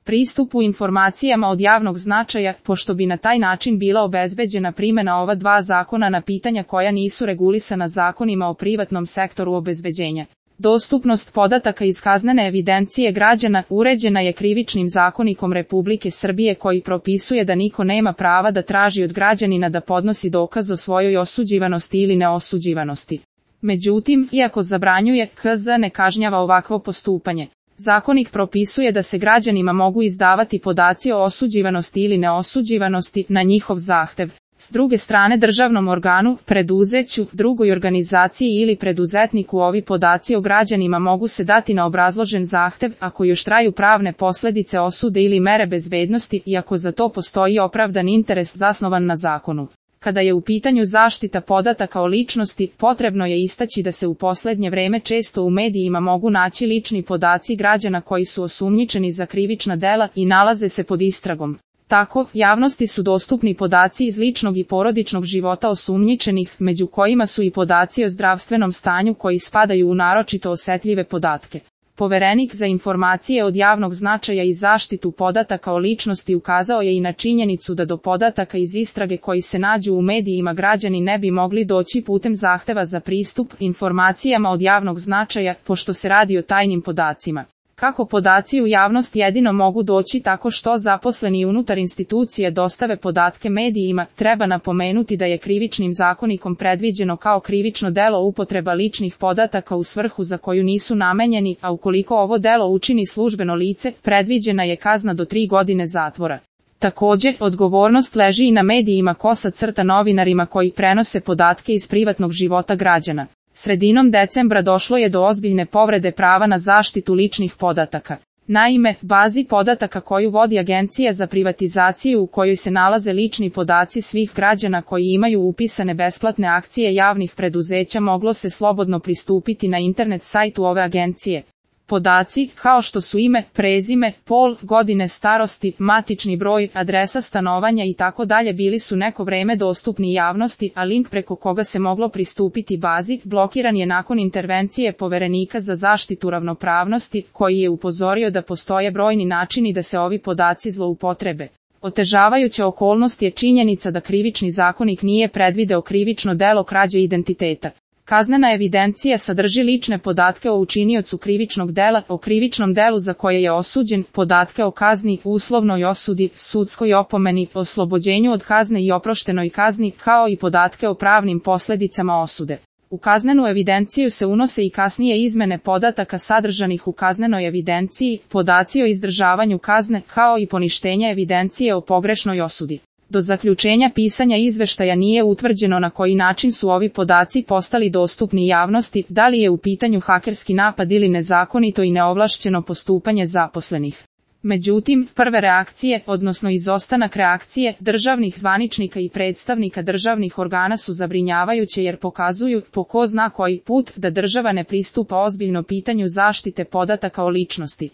pristupu informacijama od javnog značaja, pošto bi na taj način bila obezbeđena primjena ova dva zakona na pitanja koja nisu regulisana zakonima o privatnom sektoru obezbeđenja. Dostupnost podataka iz kaznene evidencije građana uređena je Krivičnim zakonikom Republike Srbije koji propisuje da niko nema prava da traži od građanina da podnosi dokaz o svojoj osuđivanosti ili neosuđivanosti. Međutim, iako zabranjuje, KZ ne kažnjava ovakvo postupanje. Zakonik propisuje da se građanima mogu izdavati podaci o osuđivanosti ili neosuđivanosti na njihov zahtev. S druge strane državnom organu, preduzeću, drugoj organizaciji ili preduzetniku ovi podaci o građanima mogu se dati na obrazložen zahtev ako još traju pravne posljedice osude ili mere bezbednosti i ako za to postoji opravdan interes zasnovan na zakonu. Kada je u pitanju zaštita podataka o ličnosti, potrebno je istaći da se u posljednje vreme često u medijima mogu naći lični podaci građana koji su osumnjičeni za krivična dela i nalaze se pod istragom. Tako, javnosti su dostupni podaci iz ličnog i porodičnog života osumnjičenih, među kojima su i podaci o zdravstvenom stanju koji spadaju u naročito osetljive podatke. Poverenik za informacije od javnog značaja i zaštitu podataka o ličnosti ukazao je i na činjenicu da do podataka iz istrage koji se nađu u medijima građani ne bi mogli doći putem zahteva za pristup informacijama od javnog značaja, pošto se radi o tajnim podacima. Kako podaci u javnost jedino mogu doći tako što zaposleni unutar institucije dostave podatke medijima, treba napomenuti da je Krivičnim zakonikom predviđeno kao krivično delo upotreba ličnih podataka u svrhu za koju nisu namenjeni, a ukoliko ovo delo učini službeno lice, predviđena je kazna do 3 godine zatvora. Također, odgovornost leži i na medijima novinarima koji prenose podatke iz privatnog života građana. Sredinom decembra došlo je do ozbiljne povrede prava na zaštitu ličnih podataka. Naime, bazi podataka koju vodi Agencija za privatizaciju u kojoj se nalaze lični podaci svih građana koji imaju upisane besplatne akcije javnih preduzeća moglo se slobodno pristupiti na internet sajtu ove agencije. Podaci, kao što su ime, prezime, pol, godine starosti, matični broj, adresa stanovanja i tako dalje bili su neko vreme dostupni javnosti, a link preko koga se moglo pristupiti bazi blokiran je nakon intervencije Poverenika za zaštitu ravnopravnosti, koji je upozorio da postoje brojni načini da se ovi podaci zloupotrebe. Otežavajuća okolnost je činjenica da Krivični zakonik nije predvideo krivično delo krađe identiteta. Kaznena evidencija sadrži lične podatke o učiniocu krivičnog dela, o krivičnom delu za koje je osuđen, podatke o kazni, uslovnoj osudi, sudskoj opomeni, oslobođenju od kazne i oproštenoj kazni, kao i podatke o pravnim posljedicama osude. U kaznenu evidenciju se unose i kasnije izmene podataka sadržanih u kaznenoj evidenciji, podaci o izdržavanju kazne, kao i poništenje evidencije o pogrešnoj osudi. Do zaključenja pisanja izveštaja nije utvrđeno na koji način su ovi podaci postali dostupni javnosti, da li je u pitanju hakerski napad ili nezakonito i neovlašćeno postupanje zaposlenih. Međutim, prve reakcije, odnosno izostanak reakcije, državnih zvaničnika i predstavnika državnih organa su zabrinjavajuće jer pokazuju, po ko zna koji put, da država ne pristupa ozbiljno pitanju zaštite podataka o ličnosti.